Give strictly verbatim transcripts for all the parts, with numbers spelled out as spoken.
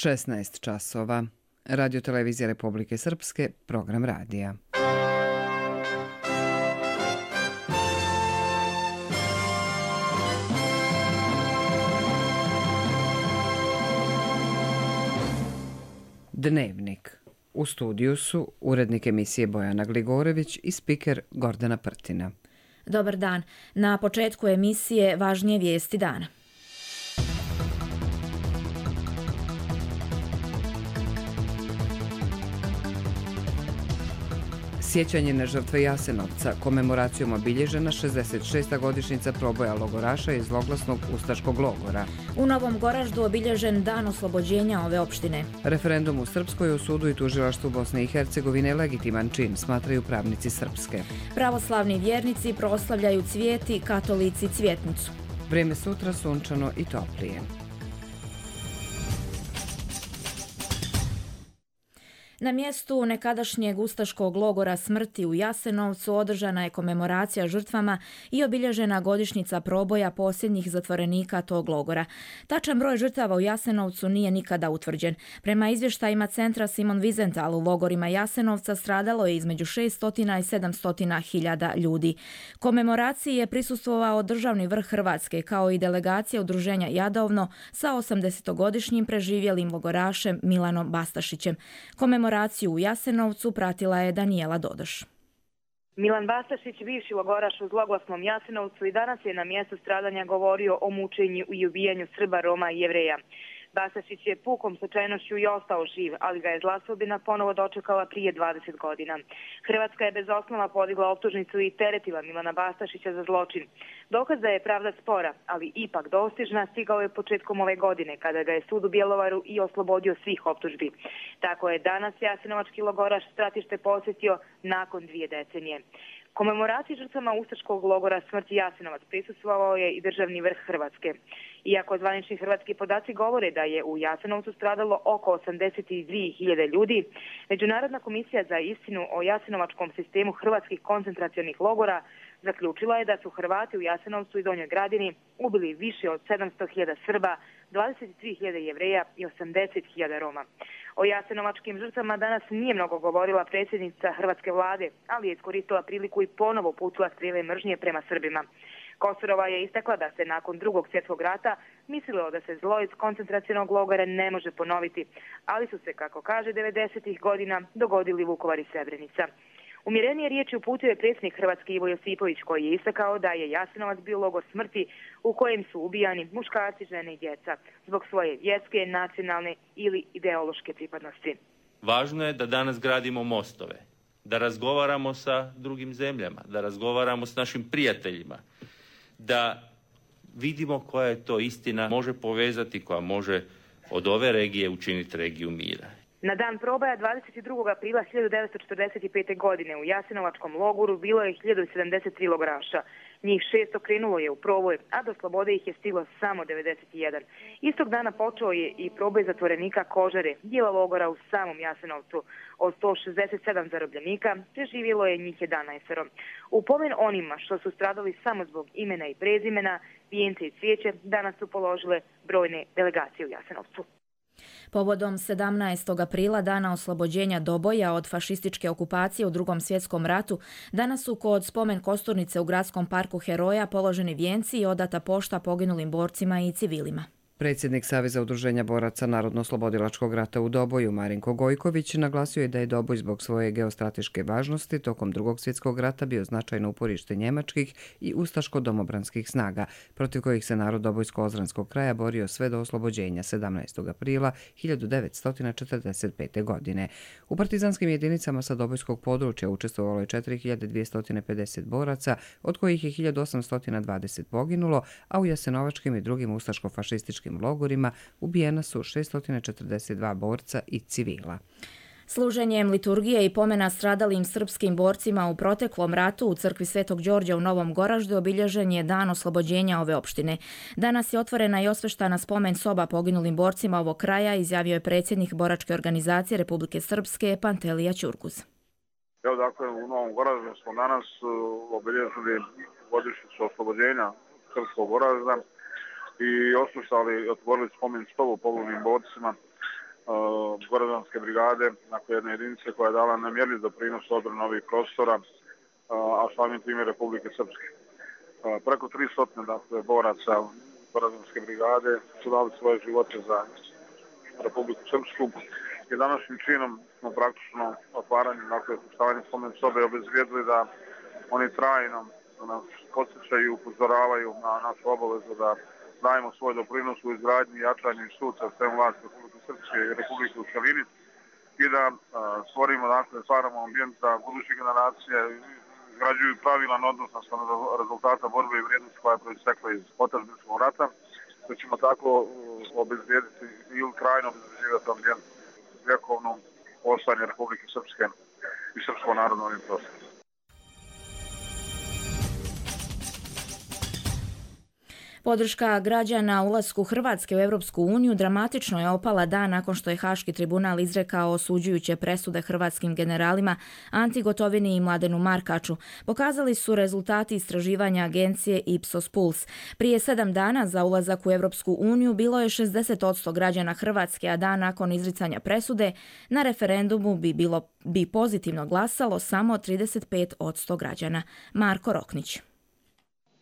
šesnaest časova. Radio Televizija Republike Srpske, program radija. Dnevnik. U studiju su urednik emisije Bojana Gligorević i spiker Gordana Prtina. Dobar dan. Na početku emisije važnije vijesti dana. Sjećanje na žrtve Jasenovca, komemoracijom obilježena šezdeset šesta godišnjica proboja logoraša iz zloglasnog ustaškog logora. U Novom Goraždu obilježen dan oslobođenja ove opštine. Referendum u Srpskoj u sudu i tužilaštvu Bosne i Hercegovine legitiman čin, smatraju pravnici Srpske. Pravoslavni vjernici proslavljaju cvijeti, katolici cvjetnicu. Vrijeme sutra sunčano i toplije. Na mjestu nekadašnjeg ustaškog logora smrti u Jasenovcu održana je komemoracija žrtvama i obilježena godišnjica proboja posljednjih zatvorenika tog logora. Tačan broj žrtava u Jasenovcu nije nikada utvrđen. Prema izvještajima centra Simon Wiesenthal u logorima Jasenovca stradalo je između šesto i sedamsto hiljada ljudi. Komemoraciji je prisustvovao državni vrh Hrvatske kao i delegacija udruženja Jadovno sa osamdesetogodišnjim preživjelim logorašem Milanom Bastašićem. Komemoraciju u Jasenovcu pratila je Danijela Dodoš. Milan Bastašić, bivši logoraš u zloglasnom Jasenovcu, i danas je na mjestu stradanja govorio o mučenju i ubijanju Srba, Roma i Jevreja. Bastašić je pukom slučajnošću i ostao živ, ali ga je zla sudbina ponovo dočekala prije dvadeset godina. Hrvatska je bez osnova podigla optužnicu i teretila Milana Bastašića za zločin. Dokaz da je pravda spora, ali ipak dostižna, stigao je početkom ove godine, kada ga je sud u Bjelovaru i oslobodio svih optužbi. Tako je danas jasenovački logoraš stratište posjetio nakon dvije decenije. Komemoraciji žrtvama ustaškog logora smrti Jasenovac prisustvovao je i državni vrh Hrvatske. Iako zvanični hrvatski podaci govore da je u Jasenovcu stradalo oko osamdeset dvije hiljade ljudi, Međunarodna komisija za istinu o jasenovačkom sistemu hrvatskih koncentracionih logora zaključila je da su Hrvati u Jasenovcu i Donjoj Gradini ubili više od sedamsto hiljada Srba, dvadeset tri hiljade Jevreja i osamdeset hiljada Roma. O jasenovačkim žrtvama danas nije mnogo govorila predsjednica hrvatske vlade, ali je iskoristila priliku i ponovo uputila strijele mržnje prema Srbima. Kosorova je istakla da se nakon drugog svjetskog rata mislilo da se zlo iz koncentracionog logora ne može ponoviti, ali su se, kako kaže, devedesetih godina dogodili Vukovar i Srebrenica. Umjerenije riječi uputio je predsjednik Hrvatske Ivo Josipović, koji je istakao da je Jasenovac bio logor smrti u kojem su ubijani muškarci, žene i djeca zbog svoje vjerske, nacionalne ili ideološke pripadnosti. Važno je da danas gradimo mostove, da razgovaramo sa drugim zemljama, da razgovaramo s našim prijateljima, da vidimo koja je to istina može povezati, koja može od ove regije učiniti regiju mira. Na dan proboja dvadeset drugog aprila hiljadu devetsto četrdeset pete. godine u Jasenovačkom logoru bilo je hiljadu sedamdeset tri logoraša. Njih šesto krenulo je u proboj, a do slobode ih je stiglo samo devedeset jedan. Istog dana počeo je i proboj zatvorenika Kožare, dijela logora u samom Jasenovcu. Od sto šezdeset sedam zarobljenika preživjelo je njih jedanaest. U pomen onima što su stradali samo zbog imena i prezimena, vijence i cvijeće danas su položile brojne delegacije u Jasenovcu. Povodom sedamnaestog aprila, dana oslobođenja Doboja od fašističke okupacije u Drugom svjetskom ratu, danas su kod spomen kosturnice u Gradskom parku Heroja položeni vijenci i odata pošta poginulim borcima i civilima. Predsjednik Saveza udruženja boraca Narodno-oslobodilačkog rata u Doboju, Marinko Gojković, naglasio je da je Doboj zbog svoje geostrateške važnosti tokom Drugog svjetskog rata bio značajno uporište njemačkih i ustaško-domobranskih snaga, protiv kojih se narod Dobojsko-ozranskog kraja borio sve do oslobođenja sedamnaestog aprila hiljadu devetsto četrdeset pete. godine. U partizanskim jedinicama sa Dobojskog područja učestvovalo je četiri hiljade dvjesto pedeset boraca, od kojih je hiljadu osamsto dvadeset poginulo, a u jasenovačkim i drugim ustaško-fašističkim logorima ubijena su šesto četrdeset dva borca i civila. Služenjem liturgije i pomena stradalim srpskim borcima u proteklom ratu u crkvi Svetog Đorđa u Novom Goraždu obilježen je dan oslobođenja ove opštine. Danas je otvorena i osveštana spomen soba poginulim borcima ovog kraja, izjavio je predsjednik boračke organizacije Republike Srpske Pantelija Ćurguz. Evo, dakle, u Novom Goraždu smo danas obilježili godišnjicu oslobođenja srpskog Goražda i oslušali i otvorili spomen sobu poginulim borcima Goraždanske brigade, dakle jedne jedinice koja je dala nemjerljiv doprinos odbrani ovih prostora, a samim tim i Republike Srpske. Preko tristo dakle, boraca Goraždanske brigade su dali svoje živote za Republiku Srpsku i današnjim činom smo praktično otvaranjem, dakle, stavljanjem spomen sobe obezvijedili da oni trajno nas podsjećaju i upozoravaju na našu obavezu da dajemo svoj doprinos u izgradnji i jačanju institucija sistema vlasti Republike Srpske i Republike u cjelini i da a, stvorimo, dakle, stvaramo ambijent za buduće generacije, izgrađuju pravilan odnos na rezultata borbe i vrijednosti koja je proistekla iz otadžbinskog rata, da ćemo tako obezvijediti ili trajno obezvijediti ambijent vjekovnom ostajanje Republike Srpske i srpskog naroda na ovim prostorima. Podrška građana ulasku Hrvatske u Europsku uniju dramatično je opala dan nakon što je Haški tribunal izrekao osuđujuće presude hrvatskim generalima Anti Gotovini i Mladenu Markaču. Pokazali su rezultati istraživanja agencije Ipsos Puls. Prije sedam dana za ulazak u Europsku uniju bilo je šezdeset posto građana Hrvatske, a dan nakon izricanja presude na referendumu bi bilo bi pozitivno glasalo samo trideset pet posto građana. Marko Roknić.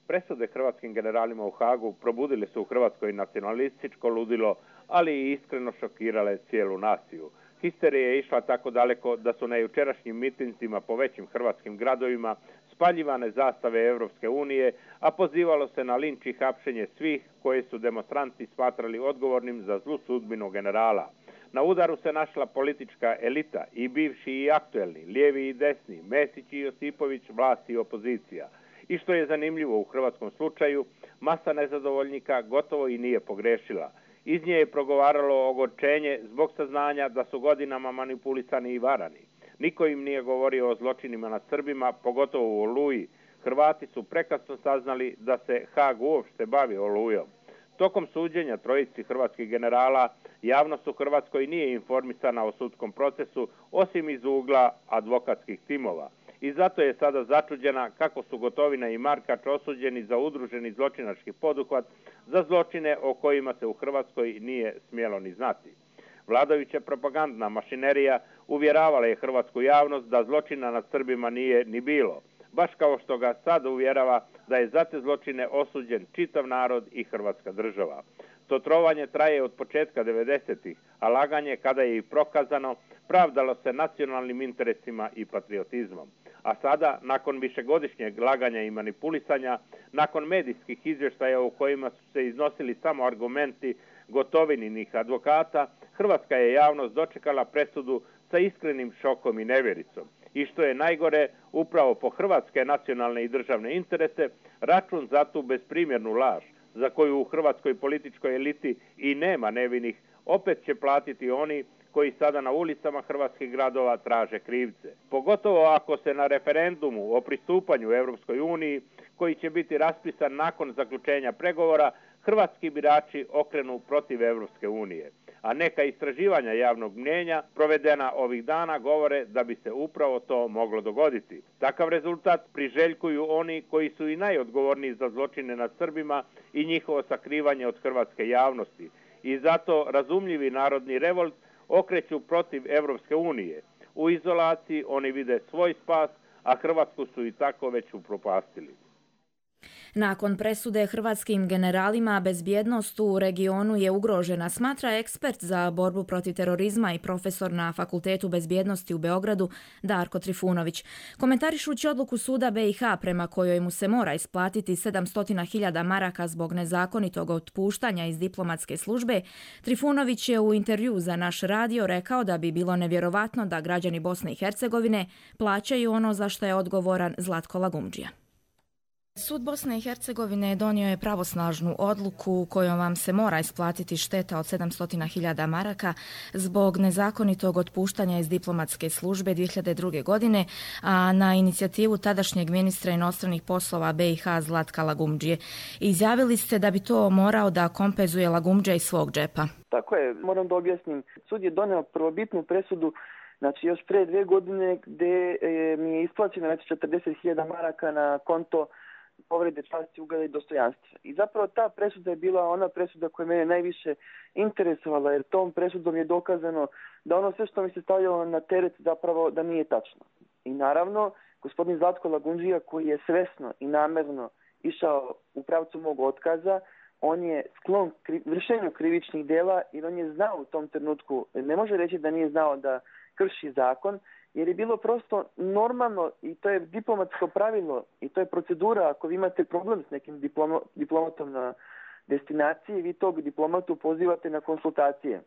Presude hrvatskim generalima u Hagu probudili su u Hrvatskoj nacionalističko ludilo, ali i iskreno šokirale cijelu naciju. Histerija je išla tako daleko da su na jučerašnjim mitinzima po većim hrvatskim gradovima spaljivane zastave Europske unije, a pozivalo se na linč i hapšenje svih koje su demonstranti smatrali odgovornim za zlu sudbinu generala. Na udaru se našla politička elita, i bivši i aktuelni, lijevi i desni, Mesić i Josipović, vlast i opozicija. I što je zanimljivo u hrvatskom slučaju, masa nezadovoljnika gotovo i nije pogrešila. Iz nje je progovaralo ogorčenje zbog saznanja da su godinama manipulisani i varani. Niko im nije govorio o zločinima nad Srbima, pogotovo u Oluji. Hrvati su prekasno saznali da se Hag uopšte bavi Olujom. Tokom suđenja trojici hrvatskih generala, javnost u Hrvatskoj nije informisana o sudskom procesu, osim iz ugla advokatskih timova. I zato je sada začuđena kako su Gotovina i Markač osuđeni za udruženi zločinački poduhvat za zločine o kojima se u Hrvatskoj nije smjelo ni znati. Vladajuća propagandna mašinerija uvjeravala je hrvatsku javnost da zločina nad Srbima nije ni bilo, baš kao što ga sad uvjerava da je za te zločine osuđen čitav narod i Hrvatska država. To trovanje traje od početka devedesetih, a laganje, kada je i prokazano, pravdalo se nacionalnim interesima i patriotizmom. A sada, nakon višegodišnjeg laganja i manipulisanja, nakon medijskih izvještaja u kojima su se iznosili samo argumenti Gotovininih advokata, hrvatska je javnost dočekala presudu sa iskrenim šokom i nevjericom. I što je najgore, upravo po hrvatske nacionalne i državne interese, račun za tu besprimjernu laž, za koju u hrvatskoj političkoj eliti i nema nevinih, opet će platiti oni koji sada na ulicama hrvatskih gradova traže krivce. Pogotovo ako se na referendumu o pristupanju Europskoj uniji, koji će biti raspisan nakon zaključenja pregovora, hrvatski birači okrenu protiv Europske unije. A neka istraživanja javnog mnijenja provedena ovih dana govore da bi se upravo to moglo dogoditi. Takav rezultat priželjkuju oni koji su i najodgovorniji za zločine nad Srbima i njihovo sakrivanje od hrvatske javnosti. I zato razumljivi narodni revolt okreću protiv Europske unije. U izolaciji oni vide svoj spas, a Hrvatsku su i tako već upropastili. Nakon presude hrvatskim generalima bezbjednost u regionu je ugrožena, smatra ekspert za borbu protiv terorizma i profesor na Fakultetu bezbjednosti u Beogradu Darko Trifunović. Komentarišući odluku suda B i H prema kojoj mu se mora isplatiti sedamsto hiljada maraka zbog nezakonitog otpuštanja iz diplomatske službe, Trifunović je u intervju za naš radio rekao da bi bilo nevjerovatno da građani Bosne i Hercegovine plaćaju ono za što je odgovoran Zlatko Lagumdžija. Sud Bosne i Hercegovine donio je pravosnažnu odluku kojom vam se mora isplatiti šteta od sedamsto hiljada maraka zbog nezakonitog otpuštanja iz diplomatske službe dvije hiljade druge. godine, a na inicijativu tadašnjeg ministra inostranih poslova B i H Zlatka Lagumdžije. Izjavili ste da bi to morao da kompenzuje Lagumdžija iz svog džepa. Tako je, moram da objasnim. Sud je donio prvobitnu presudu, znači još pre dve godine, gde mi je isplaćeno četrdeset hiljada maraka na konto povrede časti, ugleda i dostojanstva. I zapravo ta presuda je bila ona presuda koja mene najviše interesovala, jer tom presudom je dokazano da ono sve što mi se stavljalo na teret zapravo da nije tačno. I naravno, gospodin Zlatko Lagundžija, koji je svesno i namerno išao u pravcu mog otkaza, on je sklon kri, vršenju krivičnih dela jer on je znao u tom trenutku, ne može reći da nije znao da krši zakon, jer je bilo prosto normalno i to je diplomatsko pravilo i to je procedura. Ako vi imate problem s nekim diplomo, diplomatom na destinaciji, vi tog diplomatu pozivate na konsultacije.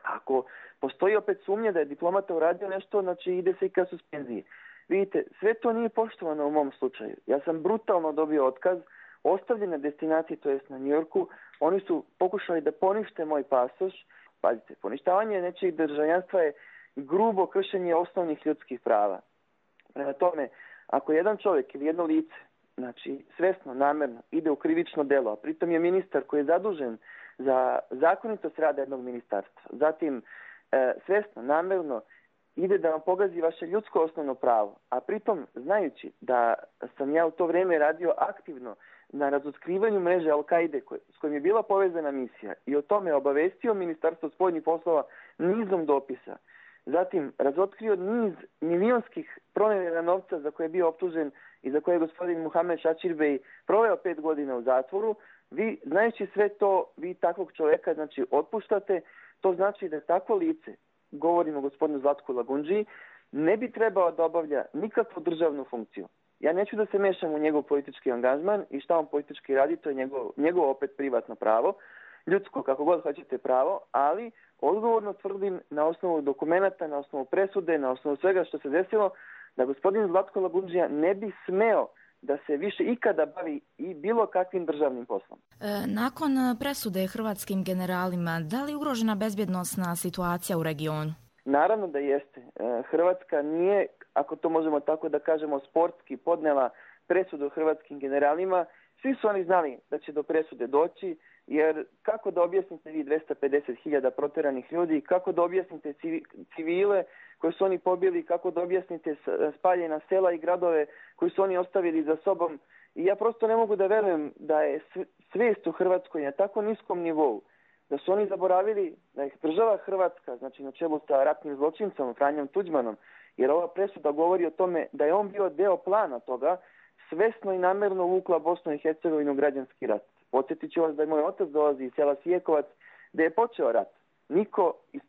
Ako postoji opet sumnja da je diplomata uradio nešto, znači ide se i ka suspenziji. Vidite, sve to nije poštovano u mom slučaju. Ja sam brutalno dobio otkaz, ostavljen na destinaciji, to jest na Njujorku. Oni su pokušali da ponište moj pasoš. Pazite, poništavanje nečijeg državljanstva je grubo kršenje osnovnih ljudskih prava. Prema tome, ako jedan čovjek ili jedno lice, znači svesno, namerno, ide u krivično delo, a pritom je ministar koji je zadužen za zakonitost rada jednog ministarstva, zatim e, svesno, namerno, ide da vam pogazi vaše ljudsko osnovno pravo, a pritom znajući da sam ja u to vrijeme radio aktivno na razotkrivanju mreže Al-Kaide s kojim je bila povezana misija i o tome obavestio Ministarstvo spoljnih poslova nizom dopisa. Zatim razotkrio niz milionskih pronevjera novca za koje je bio optužen i za koje je gospodin Muhamed Šačirbej proveo pet godina u zatvoru. Vi, znajući sve to, vi takvog čovjeka znači otpuštate. To znači da takvo lice, govorimo o gospodinu Zlatku Lagundžiji, ne bi trebao da obavlja nikakvu državnu funkciju. Ja neću da se mešam u njegov politički angažman i šta on politički radi, to je njegov, njegov opet privatno pravo, ljudsko, kako god hoćete pravo, ali odgovorno tvrdim na osnovu dokumenata, na osnovu presude, na osnovu svega što se desilo, da gospodin Zlatko Lagundžija ne bi smeo da se više ikada bavi i bilo kakvim državnim poslom. E, nakon presude hrvatskim generalima, da li je ugrožena bezbjednosna situacija u regionu? Naravno da jeste. E, Hrvatska nije, ako to možemo tako da kažemo, sportski podnela presudu hrvatskim generalima. Svi su oni znali da će do presude doći, jer kako da objasnite vi dvesta pedeset hiljada proteranih ljudi, kako da objasnite civile koje su oni pobili, kako da objasnite spaljena sela i gradove koji su oni ostavili za sobom. I ja prosto ne mogu da verujem da je svijest u Hrvatskoj na tako niskom nivou, da su oni zaboravili da ih država Hrvatska, znači na čelu sa ratnim zločincom Franjom Tuđmanom, jer ova presuda govori o tome da je on bio deo plana toga, svesno i namjerno uvukla Bosnu i Hercegovinu građanski rat. Podsjetit ću vas da je moj otac dolazi iz sela Sijekovac, gdje je počeo rat. Niko iz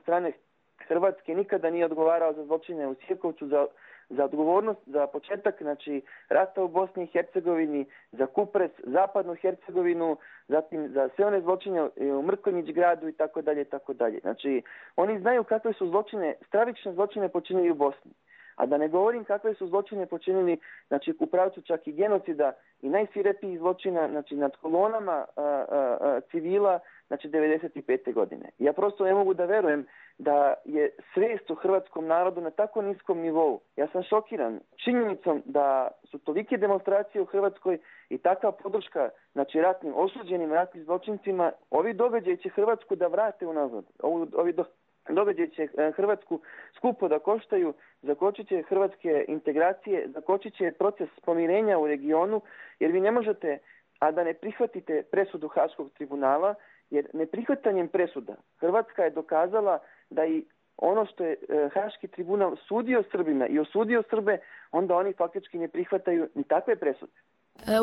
strane Hrvatske nikada nije odgovarao za zločine u Sijekovcu, za, za odgovornost, za početak znači, rata u Bosni i Hercegovini, za Kupres, zapadnu Hercegovinu, zatim za sve one zločine u Mrkonjić gradu i tako dalje, tako dalje. Znači, oni znaju kakve su zločine, stravične zločine počinili u Bosni. A da ne govorim kakve su zločine počinili, znači u pravcu čak i genocida i najsvirepijih zločina, znači nad kolonama a, a, a, civila, znači devedeset pete godine. Ja prosto ne mogu da verujem da je svijest u hrvatskom narodu na tako niskom nivou. Ja sam šokiran činjenicom da su tolike demonstracije u Hrvatskoj i takva podrška, znači ratnim osuđenim ratnim zločincima. Ovi događaji će Hrvatsku da vrate unazad. Ovi do događaj će Hrvatsku skupo da koštaju, zakočit će hrvatske integracije, zakočit će proces pomirenja u regionu, jer vi ne možete, a da ne prihvatite presudu Haškog tribunala, jer neprihvatanjem presuda Hrvatska je dokazala da i ono što je Haški tribunal sudio Srbima i osudio Srbe, onda oni faktički ne prihvataju ni takve presude.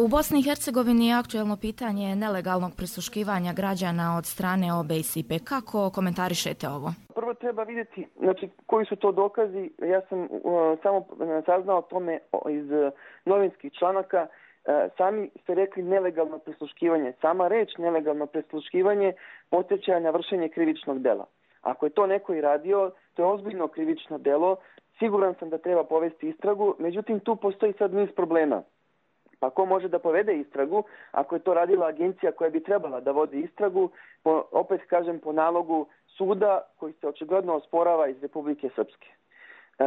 U Bosni i Hercegovini je aktuelno pitanje nelegalnog prisluškivanja građana od strane O B S I P. Kako komentarišete ovo? Prvo treba vidjeti znači, koji su to dokazi. Ja sam uh, samo saznao o tome iz uh, novinskih članaka. Uh, sami ste rekli nelegalno prisluškivanje. Sama reč nelegalno prisluškivanje podsjeća na vršenje krivičnog dela. Ako je to neko i radio, to je ozbiljno krivično delo. Siguran sam da treba povesti istragu, međutim tu postoji sad niz problema. Pa ko može da povede istragu ako je to radila agencija koja bi trebala da vodi istragu, po, opet kažem po nalogu suda koji se očigledno osporava iz Republike Srpske. E,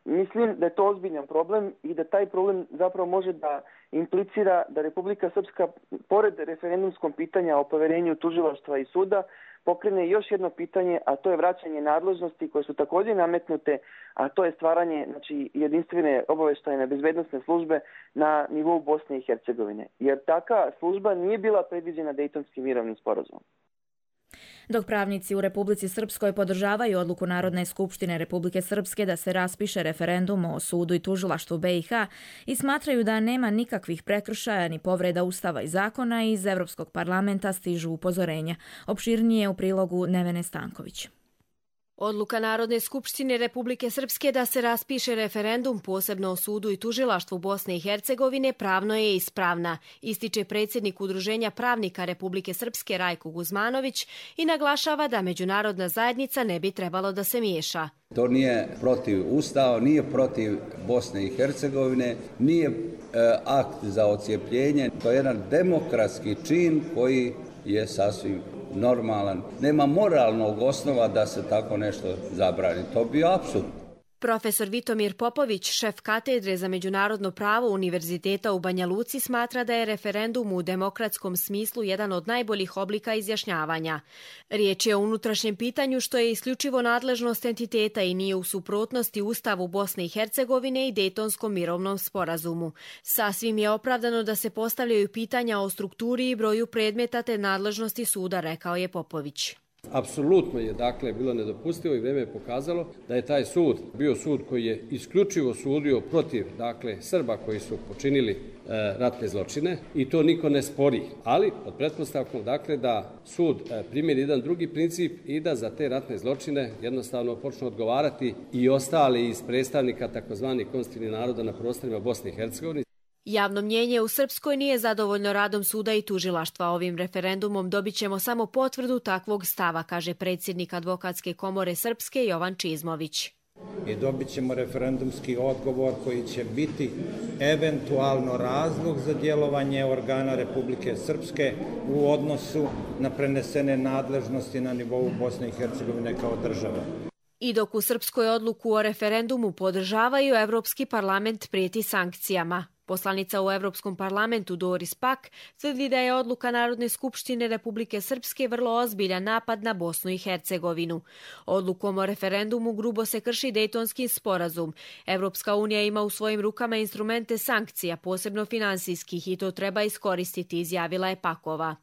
Mislim da je to ozbiljan problem i da taj problem zapravo može da implicira da Republika Srpska, pored referendumskom pitanja o poverenju tužilaštva i suda, pokrene još jedno pitanje, a to je vraćanje nadležnosti koje su također nametnute, a to je stvaranje znači, jedinstvene obaveštajne bezbednosne službe na nivou Bosne i Hercegovine. Jer taka služba nije bila predviđena Dejtonskim mirovnim sporazumom. Dok pravnici u Republici Srpskoj podržavaju odluku Narodne skupštine Republike Srpske da se raspiše referendum o sudu i tužilaštvu B i H i smatraju da nema nikakvih prekršaja ni povreda Ustava i zakona, iz Evropskog parlamenta stižu upozorenja. Opširnije u prilogu Nevene Stanković. Odluka Narodne skupštine Republike Srpske da se raspiše referendum posebno o sudu i tužilaštvu Bosne i Hercegovine pravno je ispravna, ističe predsjednik Udruženja pravnika Republike Srpske Rajko Guzmanović i naglašava da međunarodna zajednica ne bi trebalo da se miješa. To nije protiv Ustava, nije protiv Bosne i Hercegovine, nije e, akt za ocijepljenje, to je jedan demokratski čin koji je sasvim normalan. Nema moralnog osnova da se tako nešto zabrani. To bi apsurd. Profesor Vitomir Popović, šef katedre za međunarodno pravo Univerziteta u Banja Luci, smatra da je referendum u demokratskom smislu jedan od najboljih oblika izjašnjavanja. Riječ je o unutrašnjem pitanju što je isključivo nadležnost entiteta i nije u suprotnosti Ustavu Bosne i Hercegovine i Dejtonskom mirovnom sporazumu. Sasvim je opravdano da se postavljaju pitanja o strukturi i broju predmeta te nadležnosti suda, rekao je Popović. Apsolutno je dakle bilo nedopustivo i vrijeme je pokazalo da je taj sud bio sud koji je isključivo sudio protiv dakle Srba koji su počinili e, ratne zločine i to niko ne spori, ali pod pretpostavkom dakle da sud e, primjeni jedan drugi princip i da za te ratne zločine jednostavno počnu odgovarati i ostali iz predstavnika takozvanih konstitutivnih naroda na prostorima Bosne i Hercegovine. Javno mnjenje u Srpskoj nije zadovoljno radom suda i tužilaštva. Ovim referendumom dobit ćemo samo potvrdu takvog stava, kaže predsjednik Advokatske komore Srpske Jovan Čizmović. I dobit ćemo referendumski odgovor koji će biti eventualno razlog za djelovanje organa Republike Srpske u odnosu na prenesene nadležnosti na nivou Bosne i Hercegovine kao države. I dok u Srpskoj odluku o referendumu podržavaju, Evropski parlament prijeti sankcijama. Poslanica u Evropskom parlamentu Doris Pak tvrdi da je odluka Narodne skupštine Republike Srpske vrlo ozbiljan napad na Bosnu i Hercegovinu. Odlukom o referendumu grubo se krši Dejtonski sporazum. Evropska unija ima u svojim rukama instrumente sankcija, posebno finansijskih, i to treba iskoristiti, izjavila je Pakova.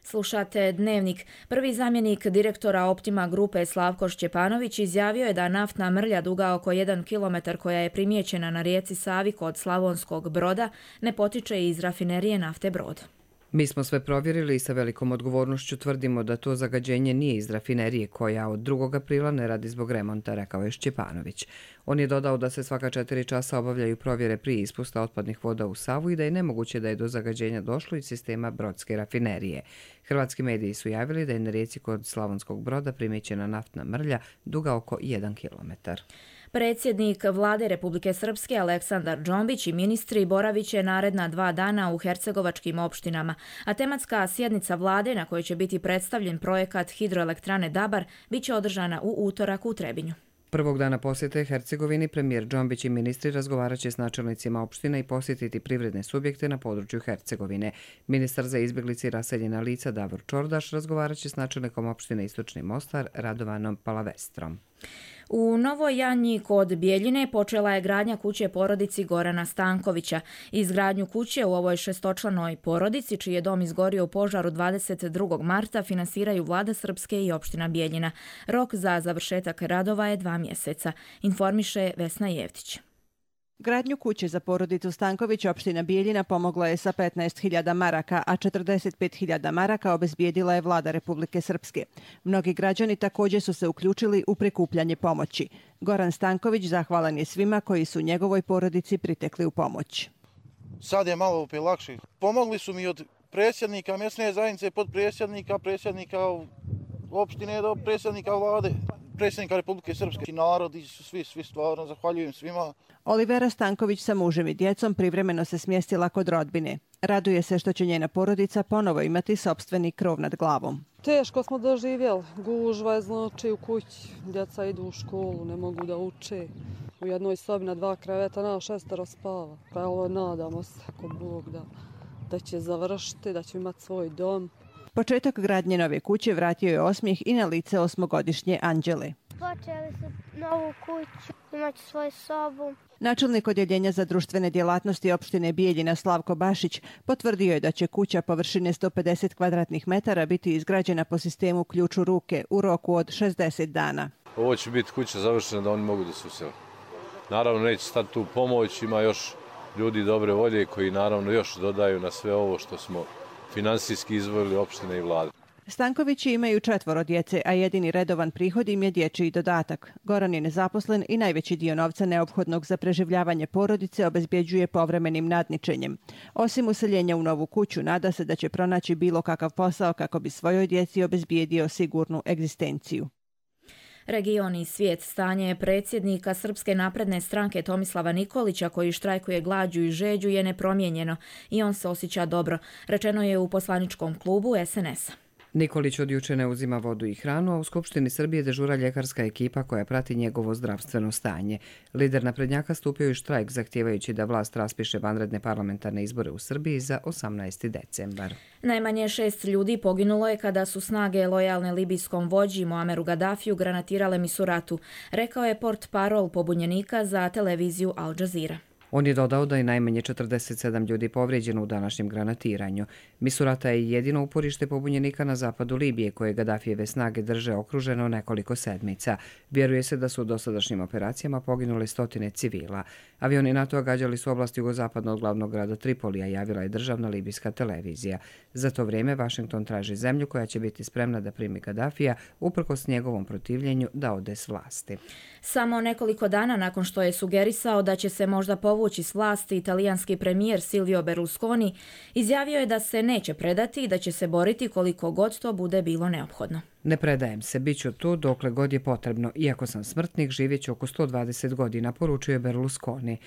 Slušate Dnevnik. Prvi zamjenik direktora Optima grupe Slavko Šćepanović izjavio je da naftna mrlja duga oko jedan kilometar koja je primijećena na rijeci Savi kod Slavonskog Broda ne potiče iz rafinerije nafte Brod. Mi smo sve provjerili i sa velikom odgovornošću tvrdimo da to zagađenje nije iz rafinerije koja od drugog aprila ne radi zbog remonta, rekao je Šćepanović. On je dodao da se svaka četiri časa obavljaju provjere prije ispusta otpadnih voda u Savu i da je nemoguće da je do zagađenja došlo iz sistema Brodske rafinerije. Hrvatski mediji su javili da je na rijeci kod Slavonskog Broda primijećena naftna mrlja duga oko jedan kilometar. Predsjednik Vlade Republike Srpske Aleksandar Džombić i ministri boravit će naredna dva dana u hercegovačkim opštinama, a tematska sjednica vlade na kojoj će biti predstavljen projekat hidroelektrane Dabar bit će održana u utorak u Trebinju. Prvog dana posjete Hercegovini premijer Džombić i ministri razgovarat će s načelnicima opština i posjetiti privredne subjekte na području Hercegovine. Ministar za izbjeglice i raseljena lica Davor Čordaš razgovarat će s načelnikom opštine Istočni Mostar Radovanom Palavestrom. U Novoj Janji kod Bijeljine počela je gradnja kuće porodici Gorana Stankovića. Izgradnju kuće u ovoj šestočlanoj porodici, čiji je dom izgorio u požaru dvadeset drugog marta, finansiraju Vlada Srpske i opština Bijeljina. Rok za završetak radova je dva mjeseca, informiše Vesna Jevtić. Gradnju kuće za porodicu Stanković opština Bijeljina pomogla je sa petnaest hiljada maraka, a četrdeset pet hiljada maraka obezbijedila je Vlada Republike Srpske. Mnogi građani također su se uključili u prikupljanje pomoći. Goran Stanković zahvalan je svima koji su njegovoj porodici pritekli u pomoć. Sad je malo opet lakše. Pomogli su mi od predsjednika mjesne zajednice, podpredsjednika, predsjednika opštine do predsjednika Vlade, predsjednika Republike Srpske. Narodi su svi, svi stvarno, zahvaljujem svima. Olivera Stanković sa mužem i djecom privremeno se smjestila kod rodbine. Raduje se što će njena porodica ponovo imati sopstveni krov nad glavom. Teško smo doživjeli. Gužva je znači u kući. Djeca idu u školu, ne mogu da uče. u jednoj sobi na dva kreveta, na šestero spava. Pa evo, nadamo se, ako Bog da, da će završiti, da će imati svoj dom. Početak gradnje nove kuće vratio je osmijeh i na lice osmogodišnje Anđele. Počeli su novu kuću, imaće svoju sobu. Načelnik odjeljenja za društvene djelatnosti opštine Bijeljina Slavko Bašić potvrdio je da će kuća površine sto pedeset kvadratnih metara biti izgrađena po sistemu ključ u ruke u roku od šezdeset dana. Ovo će biti kuća završena da oni mogu da se usele. Naravno neće stati tu pomoć, ima još ljudi dobre volje koji naravno još dodaju na sve ovo što smo finansijski izvojili opštine i vlade. Stankovići imaju četvoro djece, a jedini redovan prihod im je dječji dodatak. Goran je nezaposlen i najveći dio novca neophodnog za preživljavanje porodice obezbjeđuje povremenim nadničenjem. Osim useljenja u novu kuću, nada se da će pronaći bilo kakav posao kako bi svojoj djeci obezbijedio sigurnu egzistenciju. Region i svijet stanje predsjednika Srpske napredne stranke Tomislava Nikolića, koji štrajkuje glađu i žeđu, je nepromijenjeno i on se osjeća dobro, rečeno je u poslaničkom klubu es en es a. Nikolić od juče ne uzima vodu i hranu, a u Skupštini Srbije dežura ljekarska ekipa koja prati njegovo zdravstveno stanje. Lider naprednjaka stupio je u štrajk zahtijevajući da vlast raspiše vanredne parlamentarne izbore u Srbiji za osamnaesti decembar. Najmanje šest ljudi poginulo je kada su snage lojalne libijskom vođi Muameru Gaddafiju granatirale Misuratu, rekao je portparol pobunjenika za televiziju Al Jazeera. On je dodao da je najmanje četrdeset sedam ljudi povrijeđeno u današnjem granatiranju. Misurata je jedino uporište pobunjenika na zapadu Libije, koje Gaddafijeve snage drže okruženo nekoliko sedmica. Vjeruje se da su u dosadašnjim operacijama poginule stotine civila. Avioni NATO gađali su oblast jugozapadno od glavnog grada Tripolija, javila je državna libijska televizija. Za to vrijeme Vašington traži zemlju koja će biti spremna da primi Gaddafija uprkos njegovom protivljenju da ode s vlasti. Samo nekoliko dana nakon što je sugerisao da će se možda povući s vlasti, italijanski premijer Silvio Berlusconi izjavio je da se neće predati i da će se boriti koliko god to bude bilo neophodno. Ne predajem se, bit ću tu dokle god je potrebno. Iako sam smrtnik, živjet ću oko sto dvadeset godina, poručio je Berlusconi.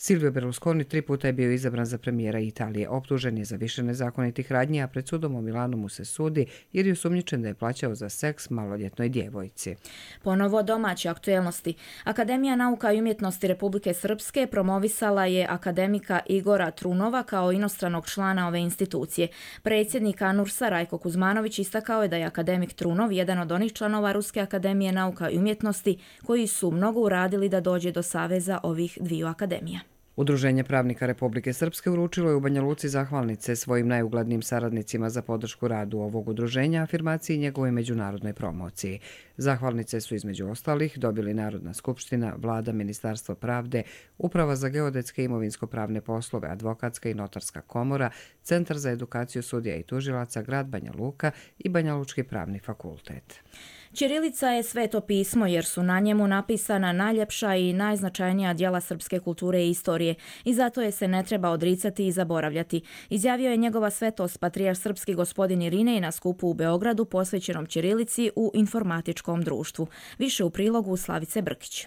Silvio Berlusconi tri puta je bio izabran za premijera Italije. Optužen je za više nezakonitih radnji, a pred sudom u Milanu mu se sudi jer je osumnjičen da je plaćao za seks maloljetnoj djevojci. Ponovo domaće aktuelnosti. Akademija nauka i umjetnosti Republike Srpske promovisala je akademika Igora Trunova kao inostranog člana ove institucije. Predsjednik ANURS-a Rajko Kuzmanović istakao je da je akademik Trunov jedan od onih članova Ruske akademije nauka i umjetnosti koji su mnogo uradili da dođe do saveza ovih dviju akademija. Udruženje pravnika Republike Srpske uručilo je u Banja Luci zahvalnice svojim najuglednijim saradnicima za podršku radu ovog udruženja, afirmaciji i njegovoj međunarodnoj promociji. Zahvalnice su između ostalih dobili Narodna skupština, Vlada, Ministarstvo pravde, Uprava za geodetske i imovinsko-pravne poslove, Advokatska i Notarska komora, Centar za edukaciju sudija i tužilaca, grad Banja Luka i Banja Lučki pravni fakultet. Ćirilica je sveto pismo jer su na njemu napisana najljepša i najznačajnija djela srpske kulture i istorije i zato je se ne treba odricati i zaboravljati, izjavio je njegova svetost patrijarh srpski gospodin Irinej na skupu u Beogradu posvećenom ćirilici u informatičkom društvu. Više u prilogu Slavice Brkić.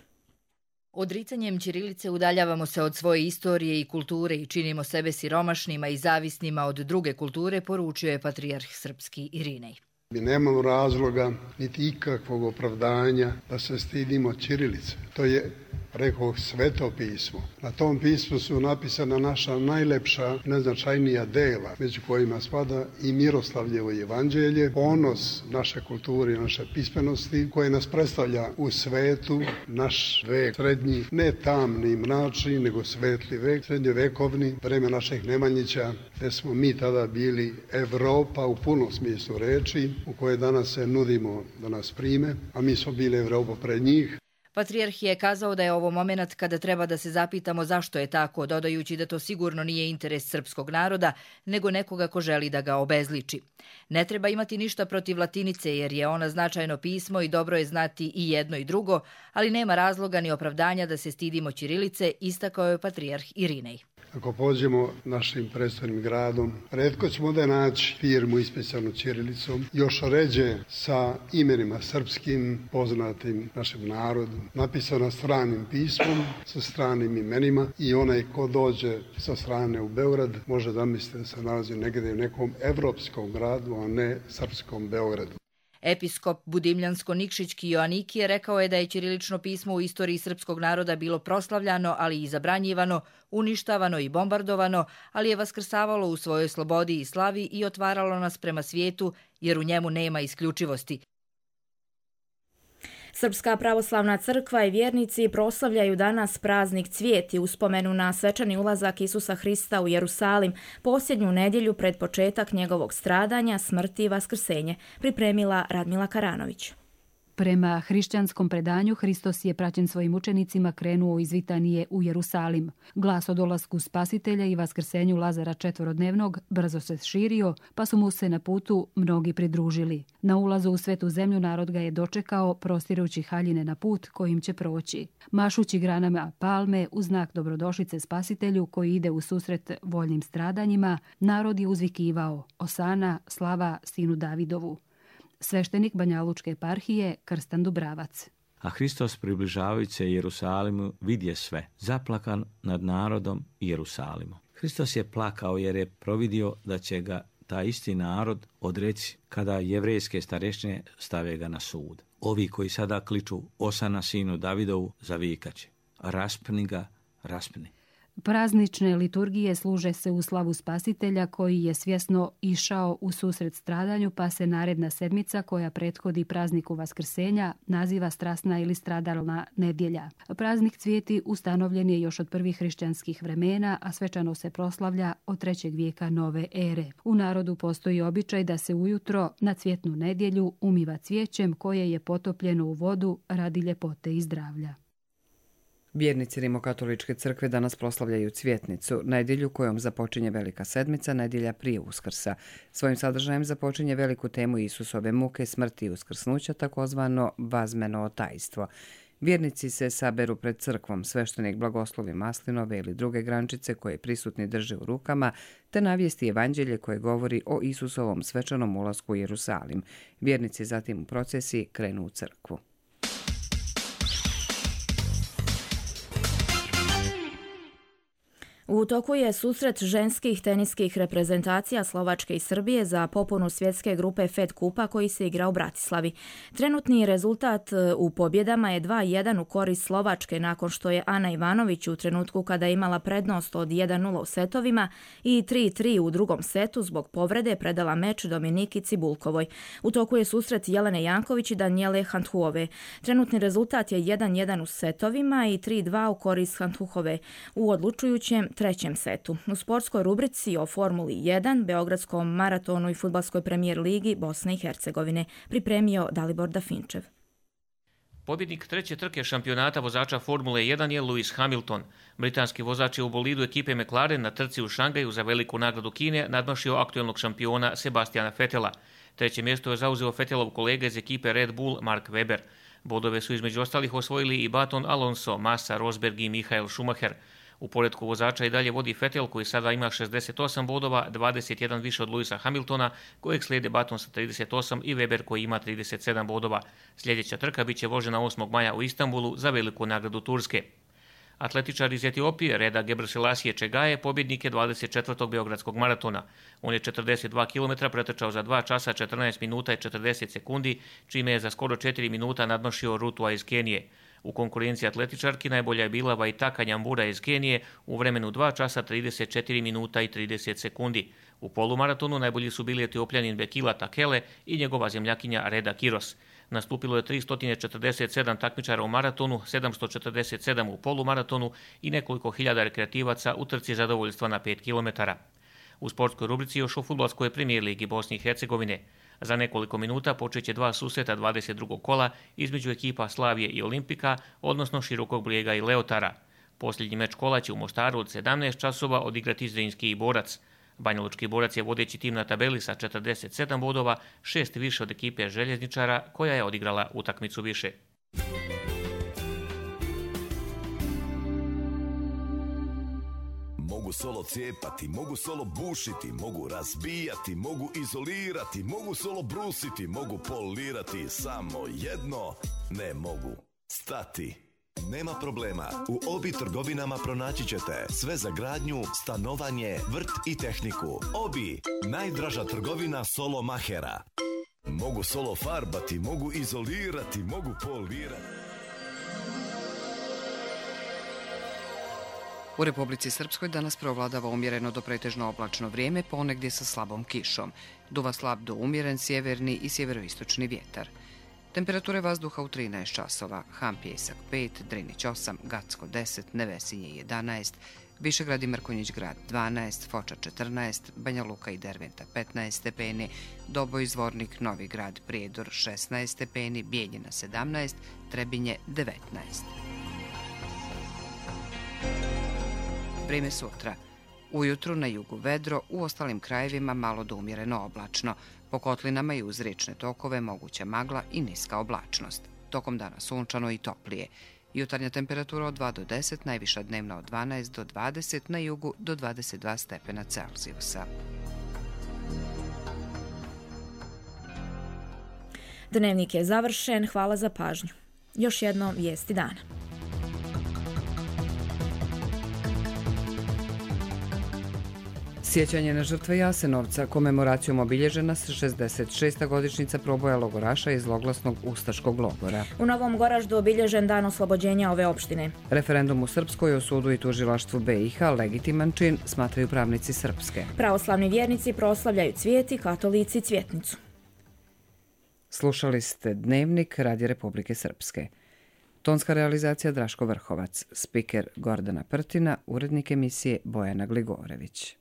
Odricanjem ćirilice udaljavamo se od svoje istorije i kulture i činimo sebe siromašnima i zavisnima od druge kulture, poručio je patrijarh srpski Irinej. Mi nemamo razloga, niti ikakvog opravdanja da se stidimo ćirilice. To je, rekao, sveto pismo. Na tom pismu su napisana naša najlepša, najznačajnija dela, među kojima spada i Miroslavljevo evanđelje, ponos naše kulture i naše pismenosti, koje nas predstavlja u svetu, naš vek srednji, ne tamni, mračni, nego svetli vek, srednjovekovni, vreme naših Nemanjića, gde smo mi tada bili Evropa u punom smislu reči, u koje danas se nudimo da nas prime, a mi smo bili Evropa pred njih. Patrijarh je kazao da je ovo moment kada treba da se zapitamo zašto je tako, dodajući da to sigurno nije interes srpskog naroda, nego nekoga ko želi da ga obezliči. Ne treba imati ništa protiv latinice jer je ona značajno pismo i dobro je znati i jedno i drugo, ali nema razloga ni opravdanja da se stidimo ćirilice, istakao je patrijarh Irinej. Ako pođemo našim predstavnim gradom, retko ćemo da naći firmu ispisanu ćirilicom, još ređe sa imenima srpskim, poznatim našem narodu, napisana stranim pismom, sa stranim imenima i onaj ko dođe sa strane u Beograd može da misli da se nalazi negdje u nekom evropskom gradu, a ne srpskom Beogradu. Episkop Budimljansko-Nikšićki Joanikije rekao je da je ćirilično pismo u istoriji srpskog naroda bilo proslavljano, ali i zabranjivano, uništavano i bombardovano, ali je vaskrsavalo u svojoj slobodi i slavi i otvaralo nas prema svijetu, jer u njemu nema isključivosti. Srpska pravoslavna crkva i vjernici proslavljaju danas praznik Cvijet i uspomenu na svečani ulazak Isusa Hrista u Jerusalim, posljednju nedjelju pred početak njegovog stradanja, smrti i vaskrsenje, pripremila Radmila Karanović. Prema hrišćanskom predanju, Hristos je praćen svojim učenicima krenuo iz Vitanije u Jerusalim. Glas o dolasku Spasitelja i vaskrsenju Lazara četvorodnevnog brzo se širio, pa su mu se na putu mnogi pridružili. Na ulazu u svetu zemlju narod ga je dočekao, prostirući haljine na put kojim će proći. Mašući granama palme u znak dobrodošlice Spasitelju koji ide u susret voljnim stradanjima, narod je uzvikivao: Osana, slava sinu Davidovu. Sveštenik Banjalučke eparhije Krstan Dubravac. A Hristos, približavajući se Jerusalimu, vidje sve, zaplakan nad narodom i Jerusalimom. Hristos je plakao jer je providio da će ga taj isti narod odreći kada jevrejske starešine stave ga na sud. Ovi koji sada kliču Osana sinu Davidovu zavikaće: raspni ga, raspni. Praznične liturgije služe se u slavu Spasitelja koji je svjesno išao u susret stradanju, pa se naredna sedmica koja prethodi prazniku Vaskrsenja naziva strasna ili stradalna nedjelja. Praznik Cvijeti ustanovljen je još od prvih hrišćanskih vremena, a svečano se proslavlja od trećeg vijeka nove ere. U narodu postoji običaj da se ujutro na Cvjetnu nedjelju umiva cvijećem koje je potopljeno u vodu radi ljepote i zdravlja. Vjernici Rimokatoličke crkve danas proslavljaju Cvjetnicu, nedjelju kojom započinje Velika sedmica, nedjelja prije Uskrsa. Svojim sadržajem započinje veliku temu Isusove muke, smrti i uskrsnuća, takozvano vazmeno otajstvo. Vjernici se saberu pred crkvom, sveštenik blagoslovi maslinove ili druge grančice koje prisutni drže u rukama, te navijesti evanđelje koje govori o Isusovom svečanom ulasku u Jerusalim. Vjernici zatim u procesiji krenu u crkvu. U toku je susret ženskih teniskih reprezentacija Slovačke i Srbije za popunu svjetske grupe Fed Kupa koji se igra u Bratislavi. Trenutni rezultat u pobjedama je dva jedan u korist Slovačke nakon što je Ana Ivanović u trenutku kada je imala prednost od jedan nula u setovima i tri tri u drugom setu zbog povrede predala meč Dominiki Cibulkovoj. U toku je susret Jelene Janković i Danijele Handhuove. Trenutni rezultat je jedan jedan u setovima i tri dva u korist Handhuove u odlučujućem trećem setu. U sportskoj rubrici o Formuli jedan, Beogradskom maratonu i fudbalskoj premijer ligi Bosne i Hercegovine pripremio Dalibor Dafinčev. Pobjednik treće trke šampionata vozača Formule jedan je Lewis Hamilton. Britanski vozač je u bolidu ekipe McLaren na trci u Šangaju za veliku nagradu Kine nadmašio aktuelnog šampiona Sebastiana Vettela. Treće mjesto je zauzeo Vettelov kolega iz ekipe Red Bull Mark Webber. Bodove su između ostalih osvojili i Baton Alonso, Massa, Rosberg i Michael Schumacher. U poretku vozača i dalje vodi Vettel koji sada ima šezdeset osam bodova, dvadeset jedan više od Lewisa Hamiltona, kojeg slijede Baton sa trideset osam i Weber koji ima trideset sedam bodova. Sljedeća trka biće vožena osmog maja u Istanbulu za veliku nagradu Turske. Atletičar iz Etiopije Reda Gebreselassie Čegaje pobjednik je dvadeset četvrtog Beogradskog maratona. On je četrdeset dva kilometra pretrčao za dva časa četrnaest minuta i četrdeset sekundi, čime je za skoro četiri minuta nadmašio Rutua iz Kenije. U konkurenciji atletičarki najbolja je bila Waitaka Nyambura iz Kenije u vremenu dva časa trideset četiri minuta i trideset sekundi. U polumaratonu najbolji su bili Etiopljanin Bekila Takele i njegova zemljakinja Reda Kiros. Nastupilo je tristo četrdeset sedam takmičara u maratonu, sedamsto četrdeset sedam u polumaratonu i nekoliko hiljada rekreativaca u trci zadovoljstva na pet kilometara. U sportskoj rubrici još o fudbalskoj premijer ligi Bosne i Hercegovine. Za nekoliko minuta počeće dva susreta dvadeset drugog kola između ekipa Slavije i Olimpika, odnosno Širokog Brijega i Leotara. Posljednji meč kola će u Mostaru od sedamnaest časova odigrati Zrinski i Borac. Banjalučki Borac je vodeći tim na tabeli sa četrdeset sedam bodova, šest više od ekipe Željezničara koja je odigrala utakmicu više. Mogu solo cijepati, mogu solo bušiti, mogu razbijati, mogu izolirati, mogu solo brusiti, mogu polirati, samo jedno ne mogu stati. Nema problema, u Obi trgovinama pronaći ćete sve za gradnju, stanovanje, vrt i tehniku. Obi, najdraža trgovina solo mahera. Mogu solo farbati, mogu izolirati, mogu polirati. U Republici Srpskoj danas preovladava umjereno do pretežno oblačno vrijeme, ponegdje sa slabom kišom. Duva slab do umjeren sjeverni i sjeveroistočni vjetar. Temperature vazduha u trinaest časova, Han Pjesak pet, Drinić osam, Gacko deset, Nevesinje jedanaest, Višegrad i Mrkonjić grad dvanaest, Foča četrnaest, Banja Luka i Derventa petnaest stepeni, Doboj, Zvornik, Novi grad, Prijedor šesnaest stepeni, Bijeljina sedamnaest, Trebinje devetnaest. Vrijeme sutra. Ujutru na jugu vedro, u ostalim krajevima malo do umjereno oblačno. Po kotlinama i uz riječne tokove moguća magla i niska oblačnost. Tokom dana sunčano i toplije. Jutarnja temperatura od dva do deset, najviša dnevna od dvanaest do dvadeset, na jugu do dvadeset dva stepena Celzijusa. Dnevnik je završen, hvala za pažnju. Još jedno vijesti dana. Sjećanje na žrtve Jasenovca, komemoracijom obilježena se šezdeset šesta godišnjica proboja logoraša iz zloglasnog ustaškog logora. U Novom Goraždu obilježen dan oslobođenja ove opštine. Referendum u Srpskoj o sudu i tužilaštvu B i H legitiman čin, smatraju pravnici Srpske. Pravoslavni vjernici proslavljaju cvijeti, katolici cvjetnicu. Slušali ste Dnevnik Radija Republike Srpske. Tonska realizacija Draško Vrhovac, spiker Gordana Prtina, urednik emisije Bojana Gligorević.